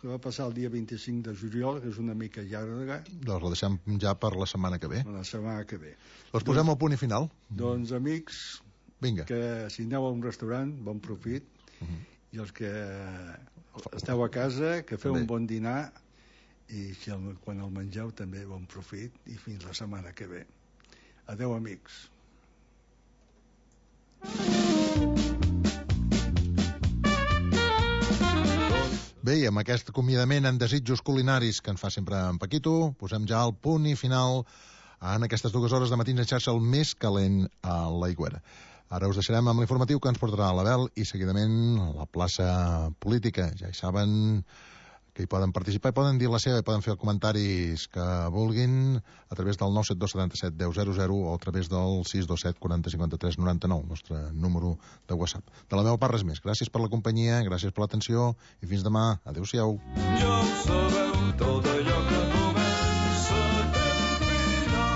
que va passar el dia 25 de juliol, que és una mica llarga. Doncs la deixem ja per la setmana que ve. La setmana que ve. Doncs posem el punt i final. Doncs, amics, vinga, que si aneu a un restaurant, bon profit. I els que esteu a casa, que feu un bon dinar, i quan el mengeu també bon profit, i fins la setmana que ve. Adeu, amics. Bé, i amb aquest acomiadament en desitjos culinaris que en fa sempre en Paquito, posem ja el punt i final en aquestes 2 hores de matins en xarxa, el més calent a l'Aigüera. Ara us deixarem amb l'informatiu que ens portarà l'Abel i seguidament la plaça política. Ja hi saben que hi poden participar, i poden dir la seva, i poden fer els comentaris que vulguin a través del 972 77 10 00 o a través del 627 40 53 99, el nostre número de WhatsApp. De la meva part res més. Gràcies per la companyia, gràcies per l'atenció i fins demà. Adéu-siau. Ja ho sabeu, tot allò que comença té un final.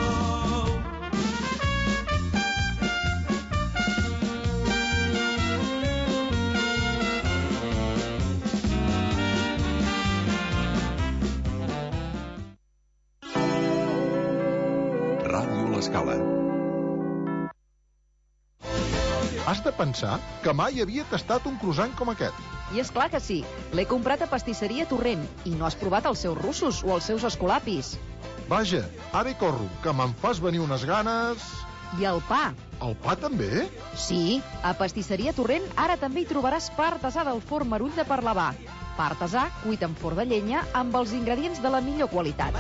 Ràdio L'Escala. Has de pensar que mai havia tastat un croissant com aquest. I és clar que sí. L'he comprat a Pastisseria Torrent i no has provat els seus russos o els seus escolapis. Vaja, ara hi corro, que me'n fas venir unes ganes... I el pa. El pa també? Sí, a Pastisseria Torrent ara també hi trobaràs pa artesà del forn Marull de Parlavà. Pa artesà cuit en forn de llenya amb els ingredients de la millor qualitat.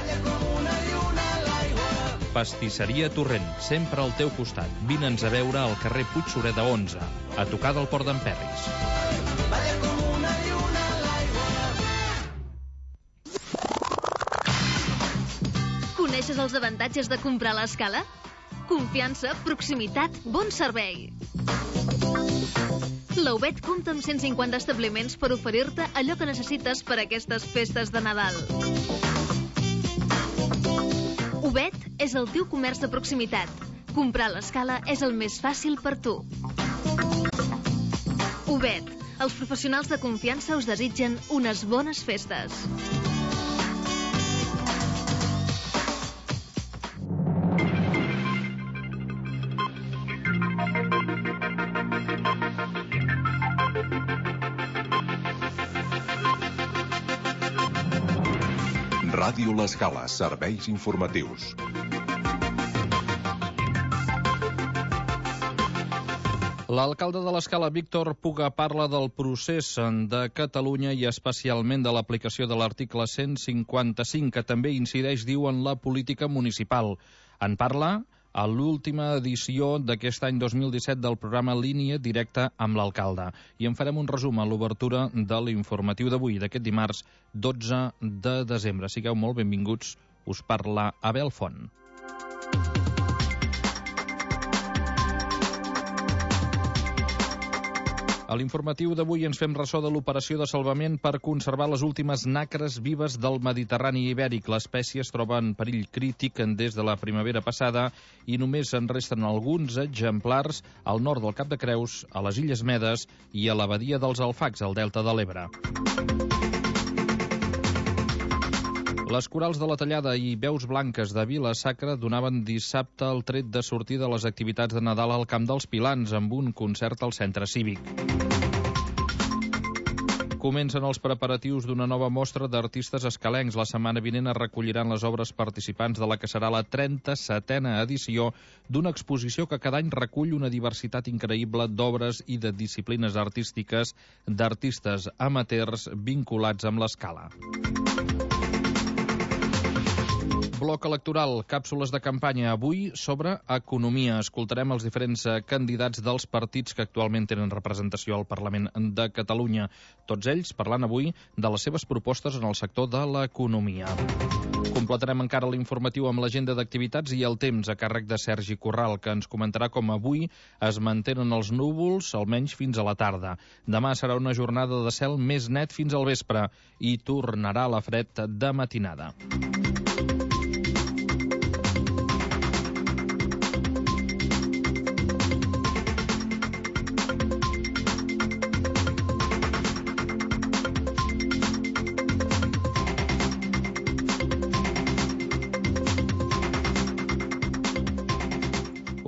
Pastisseria Torrent, sempre al teu costat. Vine'ns a veure al carrer Puigsureda 11, a tocar del Port d'en Perris. Coneixes els avantatges de comprar a l'Escala? Confiança, proximitat, bon servei. La UBET compta amb 150 establiments per oferir-te allò que necessites per a aquestes festes de Nadal. UBET és el teu comerç de proximitat. Comprar a l'Escala és el més fàcil per tu. UBET, els professionals de confiança us desitgen unes bones festes. Ràdio L'Escala, serveis informatius. L'alcalde de l'Escala, Víctor Puga, parla del procés de Catalunya i especialment de l'aplicació de l'article 155, que també incideix, diu, en la política municipal. En parla a l'última edició d'aquest any 2017 del programa Línia Directa amb l'alcalde. I en farem un resum a l'obertura de l'informatiu d'avui, d'aquest dimarts 12 de desembre. Sigueu molt benvinguts, us parla Abel Font. A l'informatiu d'avui ens fem ressò de l'operació de salvament per conservar les últimes nacres vives del Mediterrani ibèric. L'espècie es troba en perill crític des de la primavera passada i només en resten alguns exemplars al nord del Cap de Creus, a les Illes Medes i a la badia dels Alfacs, al delta de l'Ebre. Les corals de la Tallada i Veus Blanques de Vila-sacra donaven dissabte el tret de sortir de les activitats de Nadal al Camp dels Pilans amb un concert al centre cívic. Comencen els preparatius d'una nova mostra d'artistes escalencs. La setmana vinent es recolliran les obres participants de la que serà la 37a edició d'una exposició que cada any recull una diversitat increïble d'obres i de disciplines artístiques d'artistes amateurs vinculats amb l'escala. Bloc electoral, càpsules de campanya avui sobre economia. Escoltarem els diferents candidats dels partits que actualment tenen representació al Parlament de Catalunya. Tots ells parlant avui de les seves propostes en el sector de l'economia. Completarem encara l'informatiu amb l'agenda d'activitats i el temps a càrrec de Sergi Corral, que ens comentarà com avui es mantenen els núvols, almenys fins a la tarda. Demà serà una jornada de cel més net fins al vespre i tornarà la fred de matinada.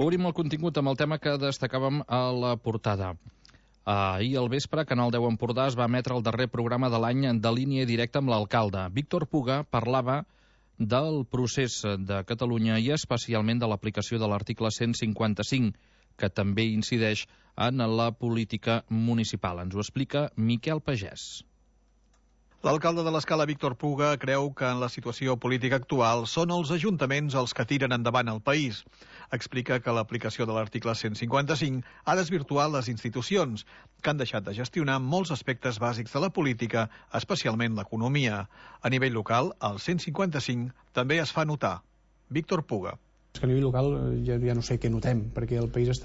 Obrim el contingut amb el tema que destacàvem a la portada. Ahir al vespre, Canal 10 Empordà es va emetre el darrer programa de l'any de línia directa amb l'alcalde. Víctor Puga parlava del procés de Catalunya i especialment de l'aplicació de l'article 155, que també incideix en la política municipal. Ens ho explica Miquel Pagès. L'alcalde de l'Escala, Víctor Puga, creu que en la situació política actual són els ajuntaments els que tiren endavant el país. Explica que l'aplicació de l'article 155 ha desvirtuat les institucions, que han deixat de gestionar molts aspectes bàsics de la política, especialment l'economia. A nivell local, el 155 també es fa notar. Víctor Puga. A nivell local ja no sé què notem, perquè el país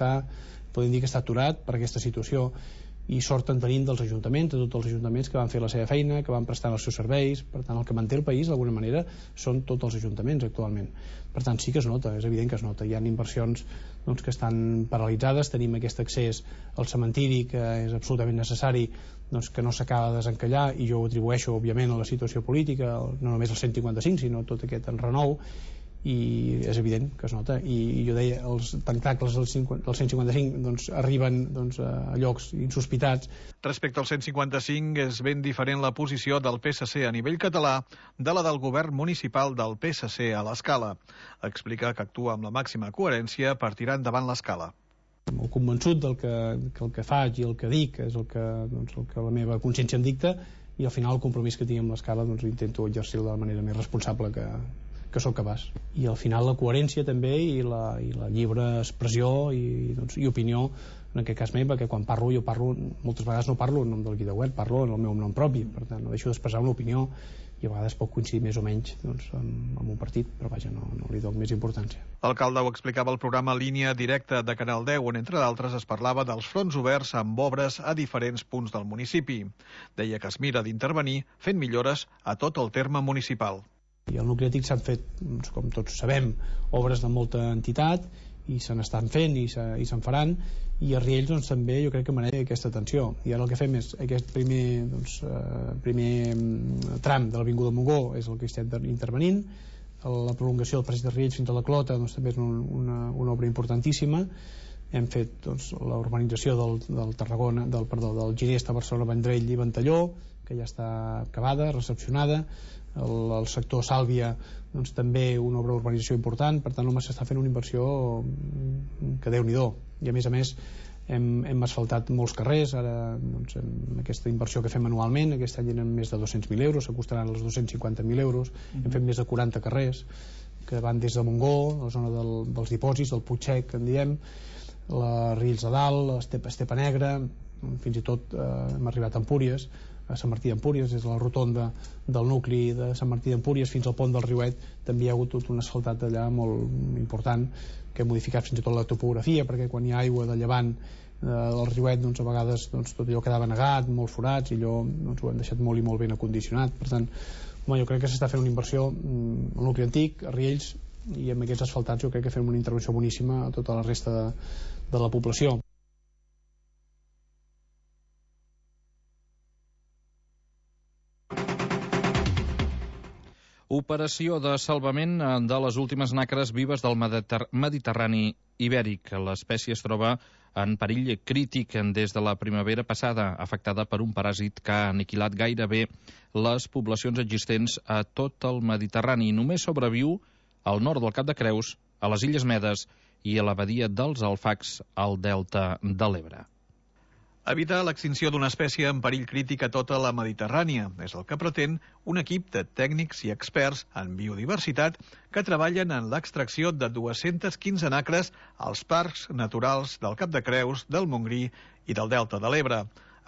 podem dir que està aturat per aquesta situació, i sort en tenim dels ajuntaments, de tots els ajuntaments que van fer la seva feina, que van prestar els seus serveis. Per tant, el que manté el país, d'alguna manera, són tots els ajuntaments actualment. Per tant, sí que es nota, és evident que es nota. Hi ha inversions que estan paralitzades, tenim aquest accés al cementiri que és absolutament necessari, que no s'acaba de desencallar, i jo ho atribueixo, òbviament, a la situació política, no només el 155, sinó tot aquest enrenou, i és evident que es nota. I jo deia, els tentacles del 155 arriben a llocs insospitats. Respecte al 155, és ben diferent la posició del PSC a nivell català de la del govern municipal del PSC a l'Escala. Explica que actua amb la màxima coherència per tirar endavant l'Escala. Molt convençut del que el que faig i el que dic és el que la meva consciència em dicta, i al final el compromís que tinc amb l'Escala intento exercir de la manera més responsable que sóc capaç. I al final la coherència també i la lliure expressió i opinió, en aquest cas meu, perquè quan parlo, jo parlo, moltes vegades no parlo en nom del VidaWeb, parlo en el meu nom propi, per tant no deixo d'expressar una opinió, i a vegades pot coincidir més o menys amb un partit, però vaja, no li dono més importància. L'alcalde ho explicava al programa Línia Directa de Canal 10, on entre d'altres es parlava dels fronts oberts amb obres a diferents punts del municipi. Deia que es mira d'intervenir fent millores a tot el terme municipal. I al nucli antic s'han fet, com tots sabem, obres de molta entitat, i se n'estan fent i se'n faran, i a Riells també jo crec que mereix aquesta atenció. I ara el que fem és aquest primer tram de l'Avinguda Montgó és el que estem intervenint. La prolongació del passeig de Riells fins a la Clota també és una obra importantíssima. Hem fet la urbanització del Ginesta, Barcelona, Vendrell i Ventalló, que ja està acabada, recepcionada. El sector Sàlvia també una obra d'urbanització important. Per tant, s'està fent una inversió que Déu-n'hi-do. I a més hem asfaltat molts carrers. Ara amb aquesta inversió que fem anualment, aquest any eren més de 200.000 euros, s'acostaran als 250.000 euros. Hem fet més de 40 carrers que van des de Montgó, la zona dels dipòsits, el Puigsec, que en diem, la Riells de Dalt, Estepa Negra, fins i tot hem arribat a Empúries, a Sant Martí d'Empúries, des de la rotonda del nucli de Sant Martí d'Empúries fins al pont del Riuet, també hi ha hagut tot un asfaltat allà molt important, que ha modificat fins i tot la topografia, perquè quan hi ha aigua de llevant del Riuet, a vegades tot allò quedava negat, molts forats, i allò ho hem deixat molt i molt ben acondicionat. Per tant, jo crec que s'està fent una inversió al nucli antic, a Riells, i amb aquests asfaltats jo crec que fem una intervenció boníssima a tota la resta de la població. Operació de salvament de les últimes nacres vives del Mediterrani ibèric. L'espècie es troba en perill crític des de la primavera passada, afectada per un paràsit que ha aniquilat gairebé les poblacions existents a tot el Mediterrani. Només sobreviu al nord del Cap de Creus, a les Illes Medes i a la badia dels Alfacs, al delta de l'Ebre. Evitar l'extinció d'una espècie en perill crític a tota la Mediterrània és el que pretén un equip de tècnics i experts en biodiversitat que treballen en l'extracció de 215 nacres als parcs naturals del Cap de Creus, del Montgrí i del delta de l'Ebre.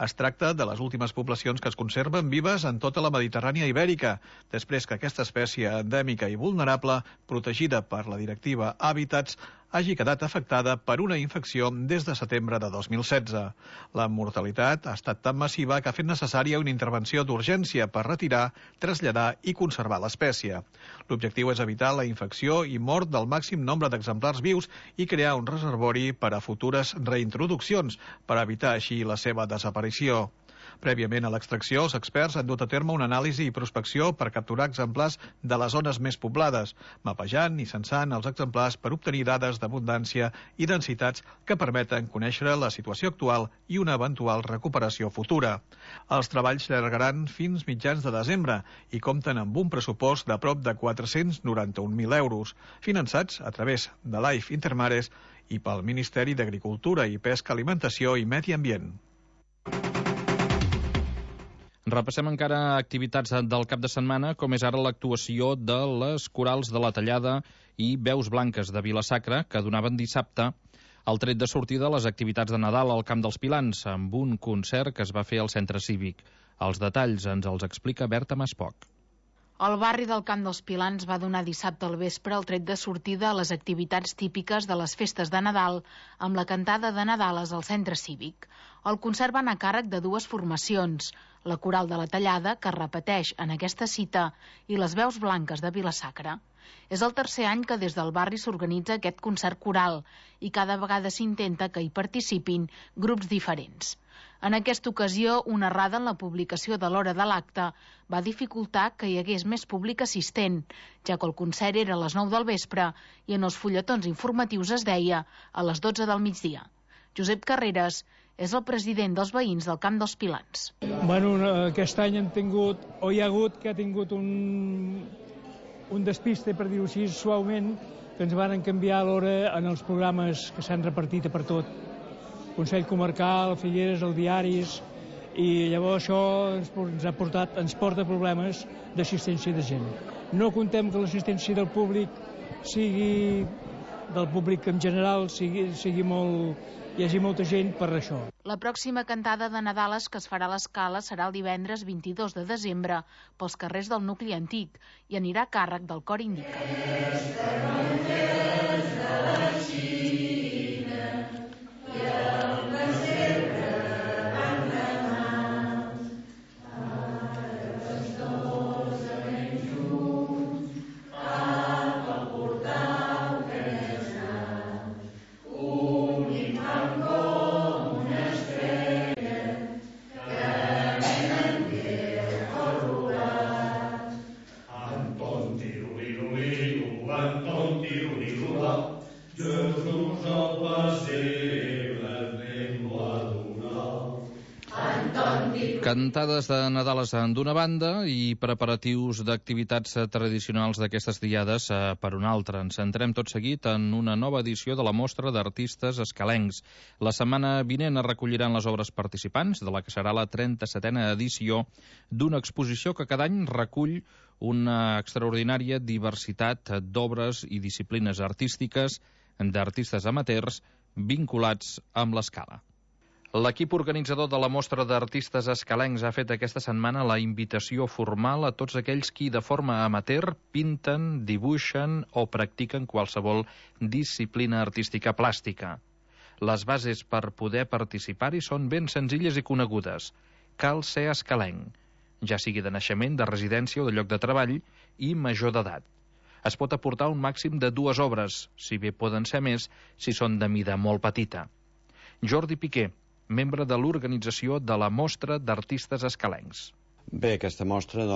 Es tracta de les últimes poblacions que es conserven vives en tota la Mediterrània ibèrica, després que aquesta espècie endèmica i vulnerable, protegida per la directiva Hàbitats, hagi quedat afectada per una infecció des de setembre de 2016. La mortalitat ha estat tan massiva que ha fet necessària una intervenció d'urgència per retirar, traslladar i conservar l'espècie. L'objectiu és evitar la infecció i mort del màxim nombre d'exemplars vius i crear un reservori per a futures reintroduccions, per evitar així la seva desaparició. Prèviament a l'extracció, els experts han dut a terme una anàlisi i prospecció per capturar exemplars de les zones més poblades, mapejant i censant els exemplars per obtenir dades d'abundància i densitats que permeten conèixer la situació actual i una eventual recuperació futura. Els treballs llargaran fins mitjans de desembre i compten amb un pressupost de prop de 491.000 euros, finançats a través de l'AIF Intermares i pel Ministeri d'Agricultura i Pesca, Alimentació i Medi Ambient. Repassem encara activitats del cap de setmana, com és ara l'actuació de les Corals de la Tallada i Veus Blanques de Vila-sacra, que donaven dissabte el tret de sortida a les activitats de Nadal al Camp dels Pilans, amb un concert que es va fer al Centre Cívic. Els detalls ens els explica Berta Maspoc. El barri del Camp dels Pilans va donar dissabte al vespre el tret de sortida a les activitats típiques de les festes de Nadal, amb la cantada de Nadales al Centre Cívic. El concert va anar a càrrec de dues formacions, la Coral de la Tallada, que es repeteix en aquesta cita, i les Veus Blanques de Vila-sacra. És el tercer any que des del barri s'organitza aquest concert coral i cada vegada s'intenta que hi participin grups diferents. En aquesta ocasió, una errada en la publicació de l'hora de l'acte va dificultar que hi hagués més públic assistent, ja que el concert era a les 9 del vespre i en els fulletons informatius es deia a les 12 del migdia. Josep Carreras és el president dels veïns del Camp dels Pilans. Bueno, aquest any han tingut, o hi ha hagut que ha tingut un despiste, per dir-ho així, suaument, que ens van canviar l'hora en els programes que s'han repartit per tot. Consell Comarcal, Figueres, els diaris, i llavors això ens porta problemes d'assistència de gent. No contem que l'assistència del públic sigui, del públic en general, sigui molt, hi hagi molta gent per això. La pròxima cantada de Nadales que es farà a l'Escala serà el divendres 22 de desembre pels carrers del nucli antic i anirà a càrrec del Cor Indica. Cantades de Nadales d'una banda i preparatius d'activitats tradicionals d'aquestes diades per una altra. Ens centrem tot seguit en una nova edició de la Mostra d'Artistes Escalencs. La setmana vinent es recolliran les obres participants de la que serà la 37a edició d'una exposició que cada any recull una extraordinària diversitat d'obres i disciplines artístiques d'artistes amateurs vinculats amb l'escala. L'equip organitzador de la Mostra d'Artistes Escalencs ha fet aquesta setmana la invitació formal a tots aquells qui de forma amateur pinten, dibuixen o practiquen qualsevol disciplina artística plàstica. Les bases per poder participar-hi són ben senzilles i conegudes. Cal ser escalenc, ja sigui de naixement, de residència o de lloc de treball, i major d'edat. Es pot aportar un màxim de 2 obres, si bé poden ser més si són de mida molt petita. Jordi Piqué, membre de l'organització de la Mostra d'Artistes Escalencs. Bé, aquesta mostra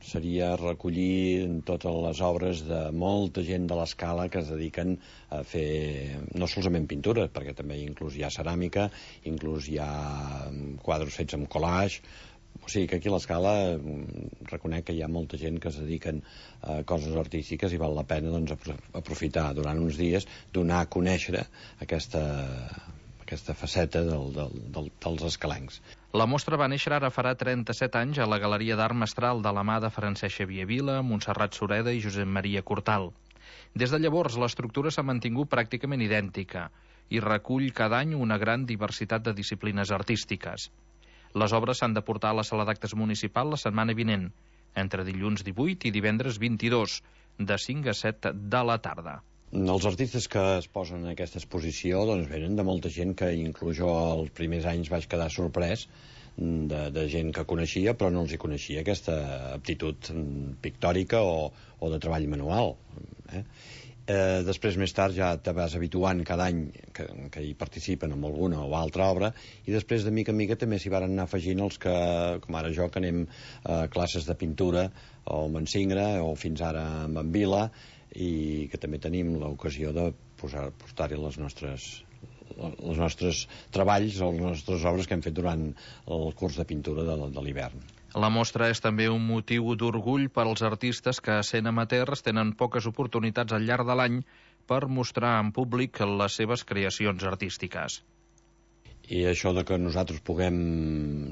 seria recollir totes les obres de molta gent de l'escala que es dediquen a fer no solament pintura, perquè també inclús hi ha ceràmica, inclús hi ha quadres fets amb collage. O sigui que aquí a l'escala reconec que hi ha molta gent que es dediquen a coses artístiques i val la pena aprofitar durant uns dies, donar a conèixer aquesta faceta dels escalencs. La mostra va néixer ara farà 37 anys a la Galeria d'Art Mestral de la mà de Francesc Xavier Vila, Montserrat Sureda i Josep Maria Cortal. Des de llavors, l'estructura s'ha mantingut pràcticament idèntica i recull cada any una gran diversitat de disciplines artístiques. Les obres s'han de portar a la sala d'actes municipal la setmana vinent, entre dilluns 18 i divendres 22, de 5 a 7 de la tarda. Els artistes que es posen en aquesta exposició venen de molta gent que inclús jo els primers anys vaig quedar sorprès de gent que coneixia però no els hi coneixia aquesta aptitud pictòrica o de treball manual. Després, més tard, ja te vas habituant cada any que hi participen en alguna o altra obra, i després, de mica en mica, també s'hi van anar afegint els que, com ara jo, que anem a classes de pintura o amb en Singre, o fins ara amb en Vila, i que també tenim l'ocasió de portar-hi els nostres treballs o les nostres obres que hem fet durant el curs de pintura de l'hivern. La mostra és també un motiu d'orgull per als artistes que, sent amateurs, tenen poques oportunitats al llarg de l'any per mostrar en públic les seves creacions artístiques. I això de que nosaltres puguem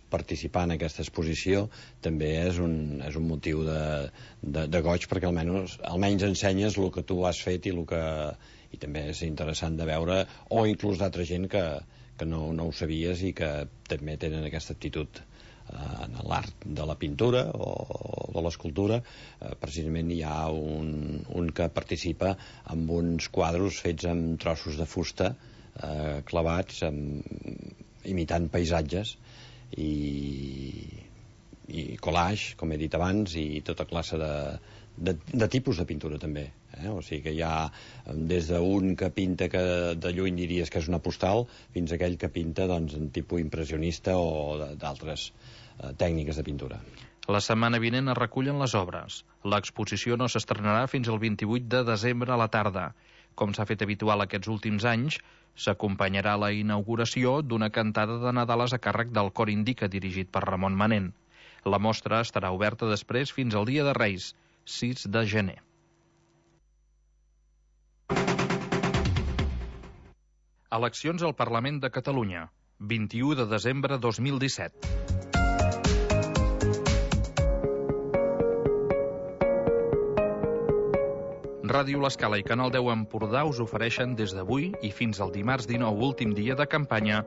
participar en aquesta exposició també és un motiu de goig, perquè almenys ensenyes el que tu has fet i també és interessant de veure, o inclús d'altra gent que no ho sabies i que també tenen aquesta aptitud en l'art de la pintura o de l'escultura. Precisament hi ha un que participa amb uns quadros fets amb trossos de fusta clavats, imitant paisatges i collage, com he dit abans, i tota classe de tipus de pintura també. O sigui que hi ha des d'un que pinta que de lluny diries que és una postal, fins a aquell que pinta en tipus impressionista o d'altres tècniques de pintura. La setmana vinent es recullen les obres. L'exposició no s'estrenarà fins al 28 de desembre a la tarda. Com s'ha fet habitual aquests últims anys, s'acompanyarà la inauguració d'una cantada de Nadales a càrrec del Cor Indica, dirigit per Ramon Manent. La mostra estarà oberta després fins al Dia de Reis, 6 de gener. Eleccions al Parlament de Catalunya, 21 de desembre 2017. Ràdio L'Escala i Canal 10 Empordà us ofereixen des d'avui i fins al dimarts 19, últim dia de campanya,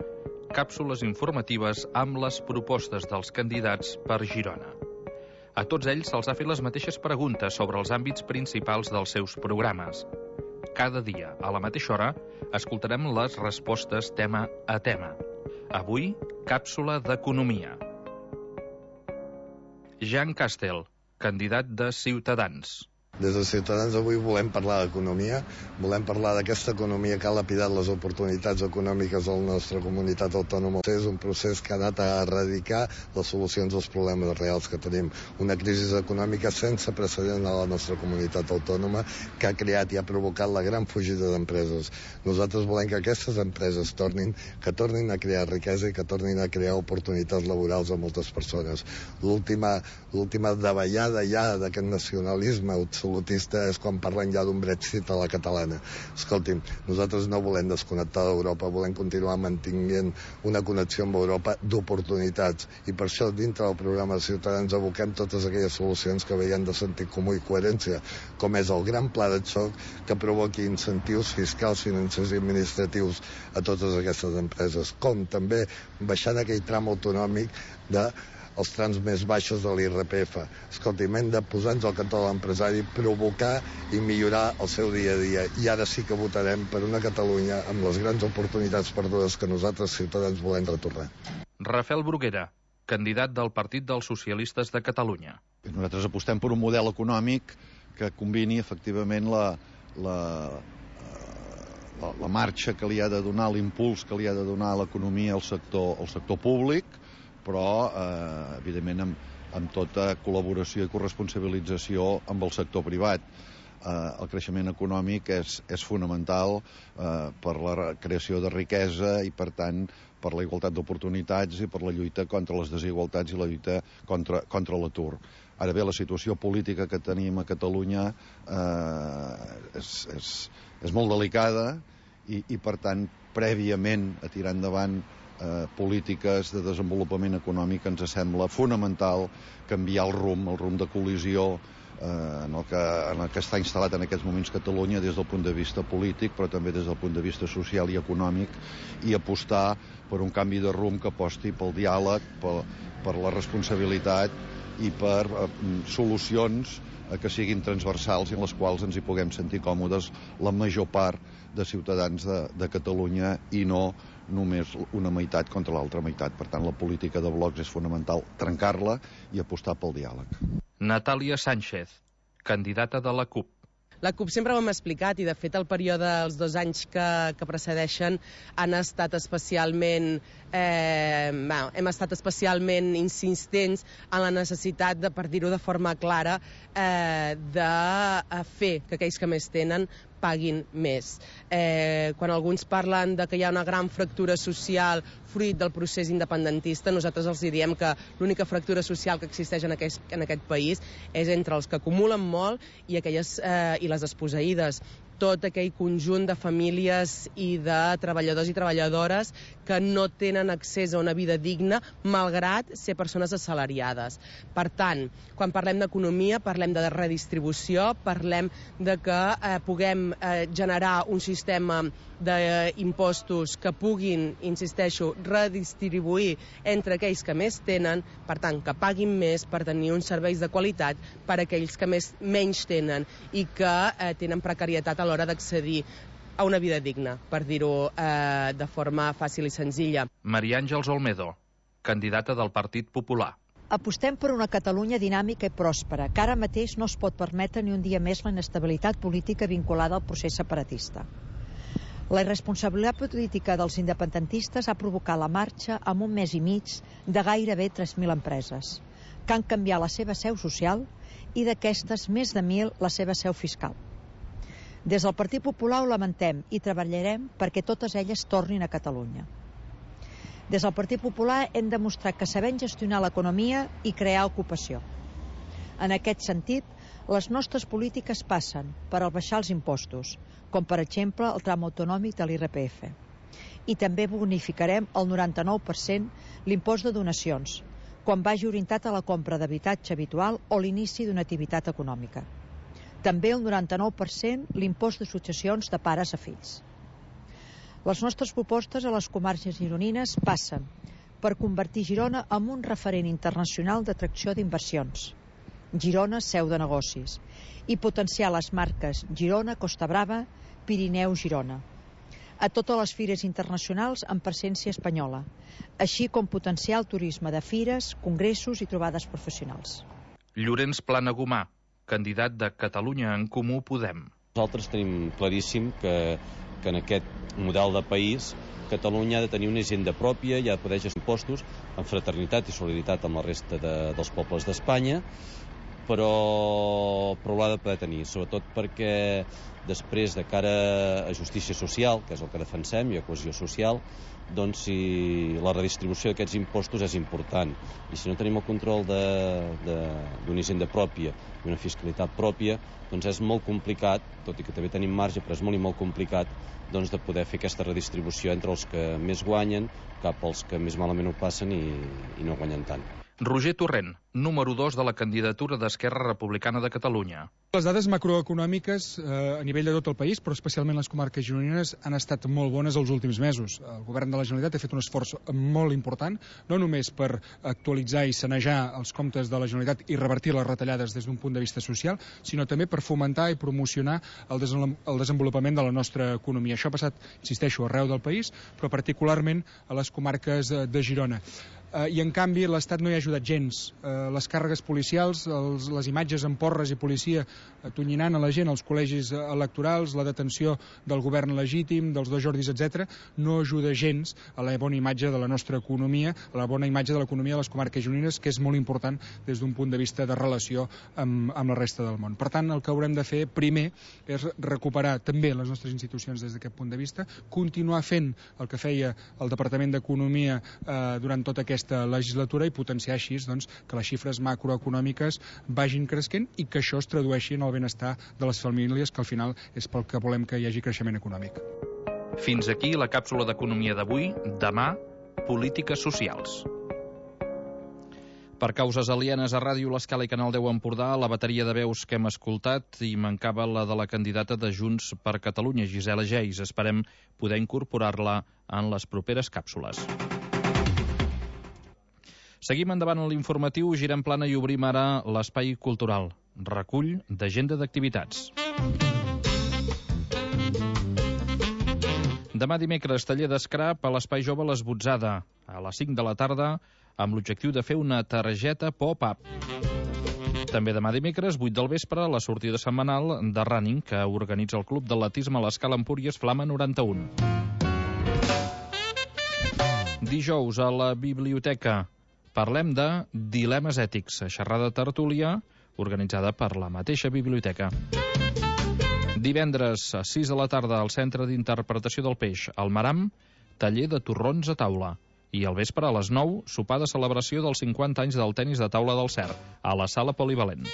càpsules informatives amb les propostes dels candidats per Girona. A tots ells se'ls ha fet les mateixes preguntes sobre els àmbits principals dels seus programes. Cada dia, a la mateixa hora, escoltarem les respostes tema a tema. Avui, càpsula d'economia. Jean Castel, candidat de Ciutadans. Des de Ciutadans avui volem parlar d'economia, volem parlar d'aquesta economia que ha lapidat les oportunitats econòmiques de la nostra comunitat autònoma. És un procés que ha anat a erradicar les solucions als problemes reals que tenim. Una crisi econòmica sense precedent a la nostra comunitat autònoma que ha creat i ha provocat la gran fugida d'empreses. Nosaltres volem que aquestes empreses tornin a crear riquesa i que tornin a crear oportunitats laborals a moltes persones. L'última davallada ja d'aquest nacionalisme absolutista és quan parlen ja d'un Brexit a la catalana. Escolti'm, nosaltres no volem desconnectar d'Europa, volem continuar mantenint una connexió amb Europa d'oportunitats, i per això dintre del programa de Ciutadans aboquem totes aquelles solucions que veiem de sentit comú i coherència, com és el gran pla de xoc que provoqui incentius fiscals, financers i administratius a totes aquestes empreses, com també baixant aquell tram autonòmic els trams més baixos de l'IRPF. Escolti'm, hem de posar-nos al cantó de l'empresari, provocar i millorar el seu dia a dia. I ara sí que votarem per una Catalunya amb les grans oportunitats perdudes que nosaltres, Ciutadans, volem retornar. Rafael Bruguera, candidat del Partit dels Socialistes de Catalunya. Nosaltres apostem per un model econòmic que combini efectivament la marxa que li ha de donar, l'impuls que li ha de donar l'economia al sector públic, però evidentment amb tota col·laboració i corresponsabilització amb el sector privat. El creixement econòmic és fonamental per la creació de riquesa i, per tant, per la igualtat d'oportunitats i per la lluita contra les desigualtats i la lluita contra l'atur. Ara bé, la situació política que tenim a Catalunya és molt delicada i, per tant, prèviament a tirar endavant polítiques de desenvolupament econòmic ens sembla fonamental canviar el rumb de col·lisió en el que està instal·lat en aquests moments Catalunya des del punt de vista polític, però també des del punt de vista social i econòmic, i apostar per un canvi de rumb que aposti pel diàleg, per la responsabilitat i per solucions que siguin transversals i en les quals ens hi puguem sentir còmodes la major part de ciutadans de Catalunya i no només una meitat contra l'altra meitat. Per tant, la política de blocs és fonamental trencar-la i apostar pel diàleg. Natàlia Sánchez, candidata de la CUP. La CUP sempre ho hem explicat i, de fet, el període, els 2 anys que precedeixen han estat especialment... hem estat especialment insistents en la necessitat de, per dir-ho de forma clara, de fer que aquells que més tenen paguin més. Quan alguns parlen de que hi ha una gran fractura social fruit del procés independentista, nosaltres els diem que l'única fractura social que existeix en aquest país és entre els que acumulen molt i les desposseïdes. Tot aquell conjunt de famílies i de treballadors i treballadores que no tenen accés a una vida digna malgrat ser persones assalariades. Per tant, quan parlem d'economia, parlem de redistribució, parlem de que puguem generar un sistema d'impostos que puguin, insisteixo, redistribuir entre aquells que més tenen, per tant, que paguin més per tenir uns serveis de qualitat per a aquells que menys tenen i que tenen precarietat a l'hora d'accedir a una vida digna, per dir-ho de forma fàcil i senzilla. Maria Àngels Olmedo, candidata del Partit Popular. Apostem per una Catalunya dinàmica i pròspera, que ara mateix no es pot permetre ni un dia més la inestabilitat política vinculada al procés separatista. La irresponsabilitat política dels independentistes ha provocat la marxa en 1 mes i mig de gairebé 3.000 empreses, que han canviat la seva seu social i d'aquestes més de 1.000 la seva seu fiscal. Des del Partit Popular ho lamentem i treballarem perquè totes elles tornin a Catalunya. Des del Partit Popular hem demostrat que sabem gestionar l'economia i crear ocupació. En aquest sentit, les nostres polítiques passen per abaixar els impostos, com per exemple el tram autonòmic de l'IRPF. I també bonificarem el 99% l'impost de donacions, quan vagi orientat a la compra d'habitatge habitual o l'inici d'una activitat econòmica. També el 99% l'impost de successions de pares a fills. Les nostres propostes a les comarques gironines passen per convertir Girona en un referent internacional d'atracció d'inversions. Girona, seu de negocis, i potenciar les marques Girona, Costa Brava, Pirineu, Girona, a totes les fires internacionals amb presència espanyola, així com potenciar el turisme de fires, congressos i trobades professionals. Llorenç Planagumà, candidat de Catalunya en Comú Podem. Nosaltres tenim claríssim que en aquest model de país Catalunya ha de tenir una hisenda pròpia i ha de poder gestionar impostos en fraternitat i solidaritat amb la resta dels pobles d'Espanya, però l'ha de poder tenir, sobretot perquè després, de cara a justícia social, que és el que defensem, i a cohesió social, doncs si la redistribució d'aquests impostos és important. I si no tenim el control d'una hisenda pròpia i una fiscalitat pròpia, doncs és molt complicat, tot i que també tenim marge, però és molt i molt complicat doncs, de poder fer aquesta redistribució entre els que més guanyen cap als que més malament ho passen i no guanyen tant. Roger Torrent, número 2 de la candidatura d'Esquerra Republicana de Catalunya. Les dades macroeconòmiques a nivell de tot el país, però especialment les comarques gironines, han estat molt bones els últims mesos. El govern de la Generalitat ha fet un esforç molt important, no només per actualitzar i sanejar els comptes de la Generalitat i revertir les retallades des d'un punt de vista social, sinó també per fomentar i promocionar el desenvolupament de la nostra economia. Això ha passat, insisteixo, arreu del país, però particularment a les comarques de Girona. I en canvi l'Estat no hi ha ajudat gens. Les càrregues policials, les imatges amb porres i policia atonyinant a la gent als col·legis electorals, la detenció del govern legítim, dels dos Jordis, etc., no ajuda gens a la bona imatge de la nostra economia, a la bona imatge de l'economia de les comarques gironines, que és molt important des d'un punt de vista de relació amb la resta del món. Per tant, el que haurem de fer primer és recuperar també les nostres institucions des d'aquest punt de vista, continuar fent el que feia el Departament d'Economia durant tota aquesta legislatura i potenciar així doncs, que les xifres macroeconòmiques vagin creixent i que això es tradueixi en el benestar de les famílies, que al final és pel que volem que hi hagi creixement econòmic. Fins aquí la càpsula d'economia d'avui. Demà, polítiques socials. Per causes alienes a Ràdio L'Escala i Canal 10 Empordà, la bateria de veus que hem escoltat i mancava la de la candidata de Junts per Catalunya, Gisela Geis. Esperem poder incorporar-la en les properes càpsules. Seguim endavant en l'informatiu, girem plana i obrim ara l'espai cultural. Recull d'agenda d'activitats. Demà dimecres, taller d'escrap a l'Espai Jove Les Botzada, a les 5 de la tarda, amb l'objectiu de fer una targeta pop-up. També demà dimecres, 8 del vespre, la sortida setmanal de running que organitza el Club d'Atletisme a l'Escala Empúries Flama 91. Dijous a la biblioteca parlem de dilemes ètics, xerrada tertúlia organitzada per la mateixa biblioteca. Divendres a 6 de la tarda al Centre d'Interpretació del Peix, al Maram, taller de torrons a taula. I al vespre, a les 9, sopar de celebració dels 50 anys del tenis de taula del CER, a la sala polivalent.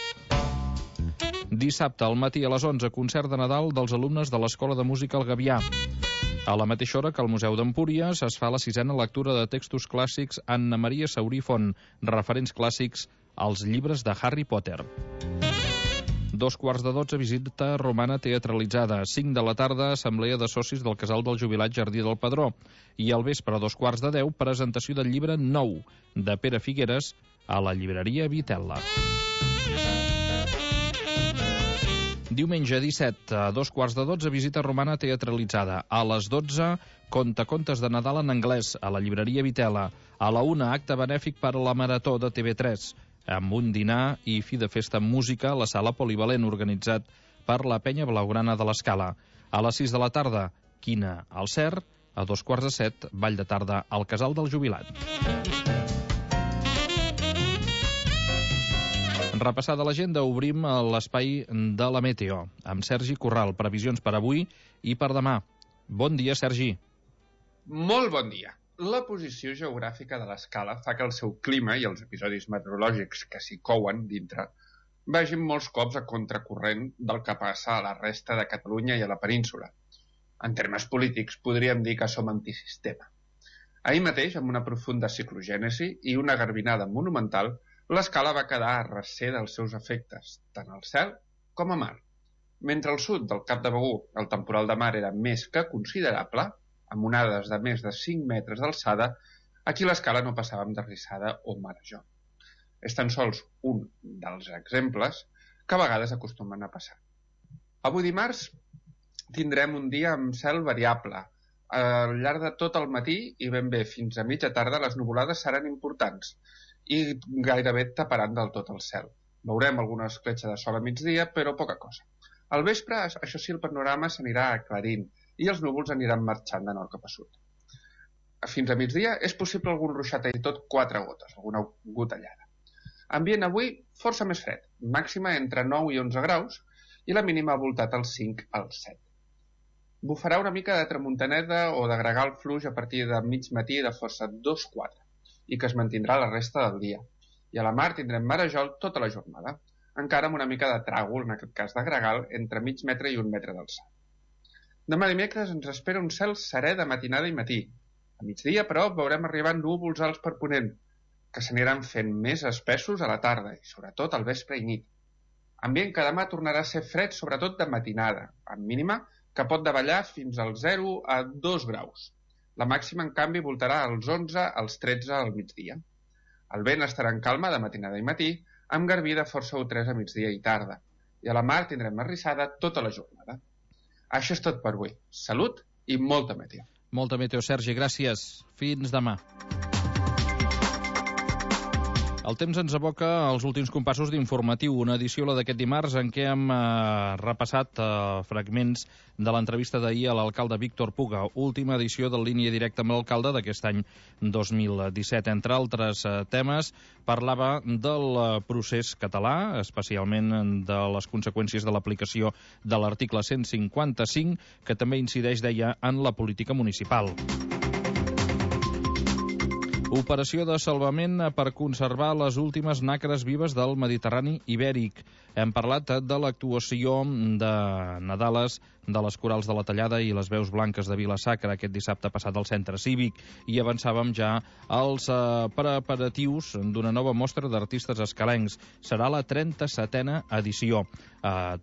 Dissabte al matí a les 11, concert de Nadal dels alumnes de l'Escola de Música El Gavià. A la mateixa hora que al Museu d'Empúries es fa la 6a lectura de textos clàssics Anna Maria Saurí Font, referents clàssics als llibres de Harry Potter. 2:15, visita romana teatralitzada. 5 de la tarda, assemblea de socis del Casal del Jubilat Jardí del Pedró. I al vespre, a 2:10, presentació del llibre Nou, de Pere Figueres, a la llibreria Vitella. Diumenge 17, a 2:15, visita romana teatralitzada. A les 12, contes de Nadal en anglès, a la llibreria Vitella. A la 1, acte benèfic per a la Marató de TV3, amb un dinar i fi de festa amb música a la sala polivalent organitzat per la Penya Blaugrana de l'Escala. A les 6 de la tarda, quina al CER. A 2:15, ball de tarda al Casal del Jubilat. Repassada l'agenda, obrim l'espai de la Meteo, amb Sergi Corral. Previsions per avui i per demà. Bon dia, Sergi. Molt bon dia. La posició geogràfica de l'Escala fa que el seu clima i els episodis meteorològics que s'hi couen dintre vagin molts cops a contracorrent del que passa a la resta de Catalunya i a la península. En termes polítics, podríem dir que som antisistema. Ahir mateix, amb una profunda ciclogènesi i una garbinada monumental, l'Escala va quedar a recer dels seus efectes, tant al cel com a mar. Mentre al sud del Cap de Begur el temporal de mar era més que considerable, amb onades de més de 5 metres d'alçada, aquí a l'Escala no passàvem de rissada o marejó. És tan sols un dels exemples que a vegades acostumen a passar. Avui dimarts tindrem un dia amb cel variable. Al llarg de tot el matí i ben bé fins a mitja tarda les nuvolades seran importants i gairebé taparan del tot el cel. Veurem alguna escletxa de sol a migdia, però poca cosa. Al vespre, això sí, el panorama s'anirà aclarint i els núvols aniran marxant de nord cap a sud. Fins a migdia és possible algun ruixat i tot 4 gotes, alguna gotellada. Ambient avui força més fred, màxima entre 9 i 11 graus i la mínima ha voltat als 5 als 7. Bufarà una mica de tramuntaneda o de gregal fluix a partir de mig matí de força 2-4 i que es mantindrà la resta del dia. I a la mar tindrem marejol tota la jornada, encara amb una mica de tràgol, en aquest cas de gregal, entre mig metre i 1 metre d'alçada. Demà dimecres ens espera un cel serè de matinada i matí. A migdia, però, veurem arribar núvols alts per ponent, que s'aniran fent més espessos a la tarda i sobretot al vespre i nit. Ambient que demà tornarà a ser fred, sobretot de matinada, amb mínima que pot davallar fins als 0 a 2 graus. La màxima, en canvi, voltarà als 11 als 13 al migdia. El vent estarà en calma de matinada i matí, amb garbí de força U3 a migdia i tarda. I a la mar tindrem arrissada tota la jornada. Això és tot per avui. Salut i molta meteo. Molta meteo, Sergi. Gràcies. Fins demà. El temps ens aboca als últims compassos d'Informatiu, una edició, la d'aquest dimarts, en què hem repassat fragments de l'entrevista d'ahir a l'alcalde Víctor Puga, última edició de Línia Directa amb l'alcalde d'aquest any 2017. Entre altres temes, parlava del procés català, especialment de les conseqüències de l'aplicació de l'article 155, que també incideix, deia, en la política municipal. Operació de salvament per conservar les últimes nacres vives del Mediterrani ibèric. Hem parlat de l'actuació de Nadales de les Corals de la Tallada i les Veus Blanques de Vila-sacra aquest dissabte passat al Centre Cívic i avançàvem ja als preparatius d'una nova mostra d'artistes escalencs. Serà la 37a edició.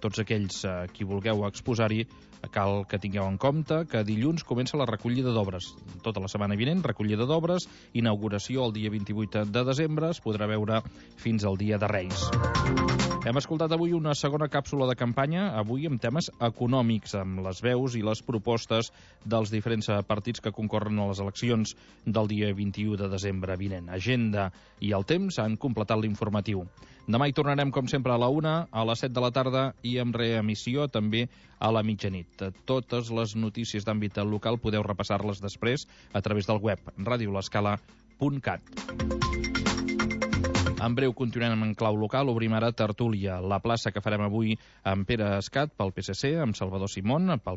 Tots aquells qui vulgueu exposar-hi cal que tingueu en compte que dilluns comença la recollida d'obres. Tota la setmana vinent, recollida d'obres, inauguració el dia 28 de desembre, es podrà veure fins al dia de Reis. Hem escoltat avui una segona càpsula de campanya, avui amb temes econòmics. amb les veus i les propostes dels diferents partits que concorren a les eleccions del dia 21 de desembre vinent. Agenda i el temps han completat l'informatiu. Demà hi tornarem, com sempre, a la 1, a les 7 de la tarda i amb reemissió també a la mitjanit. Totes les notícies d'àmbit local podeu repassar-les després a través del web radiolescala.cat. En breu continuem en clau local, obrim ara tertúlia, la plaça que farem avui amb Pere Escat pel PSC, amb Salvador Simón pel